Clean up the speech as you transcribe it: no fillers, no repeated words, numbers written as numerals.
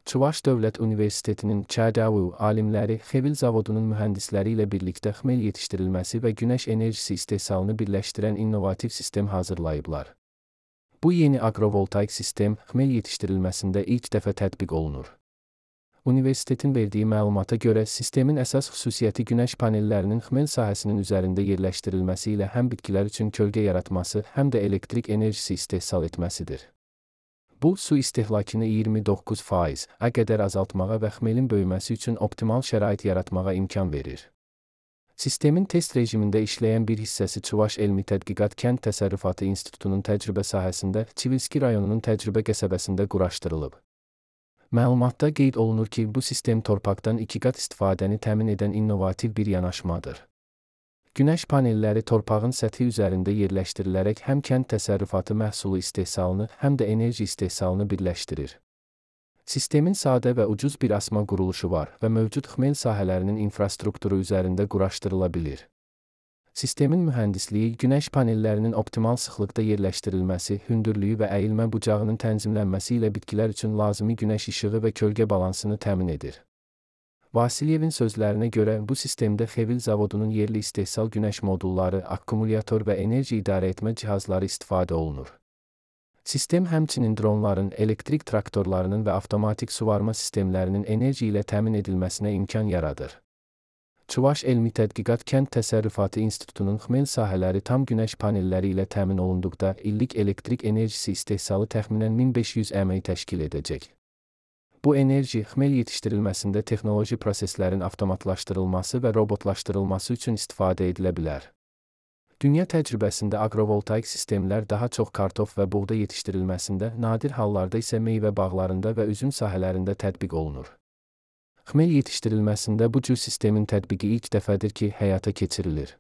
Çuvaş Dövlət Universitetinin ÇDU alimləri Xevil zavodunun mühəndisləri ilə birlikdə xmel yetişdirilməsi və günəş enerjisi istehsalını birləşdirən innovativ sistem hazırlayıblar. Bu yeni agrovoltaik sistem xmel yetişdirilməsində ilk dəfə tətbiq olunur. Universitetin verdiyi məlumata görə sistemin əsas xüsusiyyəti günəş panellərinin xmel sahəsinin üzərində yerləşdirilməsi ilə həm bitkilər üçün kölgə yaratması, həm də elektrik enerjisi istehsal etməsidir. Bu, su istehlakını 29%-ə qədər azaltmağa və xmelin böyüməsi üçün optimal şərait yaratmağa imkan verir. Sistemin test rejimində işləyən bir hissəsi Çuvaş Elmi Tədqiqat Kənd Təsərrüfatı İnstitutunun təcrübə sahəsində Çivilski rayonunun təcrübə qəsəbəsində quraşdırılıb. Məlumatda qeyd olunur ki, bu sistem torpaqdan 2 qat istifadəni təmin edən innovativ bir yanaşmadır. Günəş panelləri torpağın səthi üzərində yerləşdirilərək həm kənd təsərrüfatı məhsulu istehsalını, həm də enerji istehsalını birləşdirir. Sistemin sadə və ucuz bir asma quruluşu var və mövcud xmel sahələrinin infrastrukturu üzərində quraşdırıla bilir. Sistemin mühəndisliyi günəş panellərinin optimal sıxlıqda yerləşdirilməsi, hündürlüyü və əyilmə bucağının tənzimlənməsi ilə bitkilər üçün lazımi günəş işığı və kölgə balansını təmin edir. Vasilyevin sözlərinə görə bu sistemdə Xevil zavodunun yerli istehsal günəş modulları, akkumulyator və enerji idarə etmə cihazları istifadə olunur. Sistem həmçinin dronların, elektrik traktorlarının və avtomatik suvarma sistemlərinin enerji ilə təmin edilməsinə imkan yaradır. Çuvaş Elmi Tədqiqat Kənd Təsərrüfatı İnstitutunun xmel sahələri tam günəş panelləri ilə təmin olunduqda illik elektrik enerjisi istehsalı təxminən 1500 əmək təşkil edəcək. Bu enerji xmel yetişdirilməsində texnoloji proseslərin avtomatlaşdırılması və robotlaşdırılması üçün istifadə edilə bilər. Dünya təcrübəsində agrovoltaik sistemlər daha çox kartof və buğda yetişdirilməsində, nadir hallarda isə meyvə bağlarında və üzüm sahələrində tətbiq olunur. Xmel yetişdirilməsində bu cür sistemin tətbiqi ilk dəfədir ki, həyata keçirilir.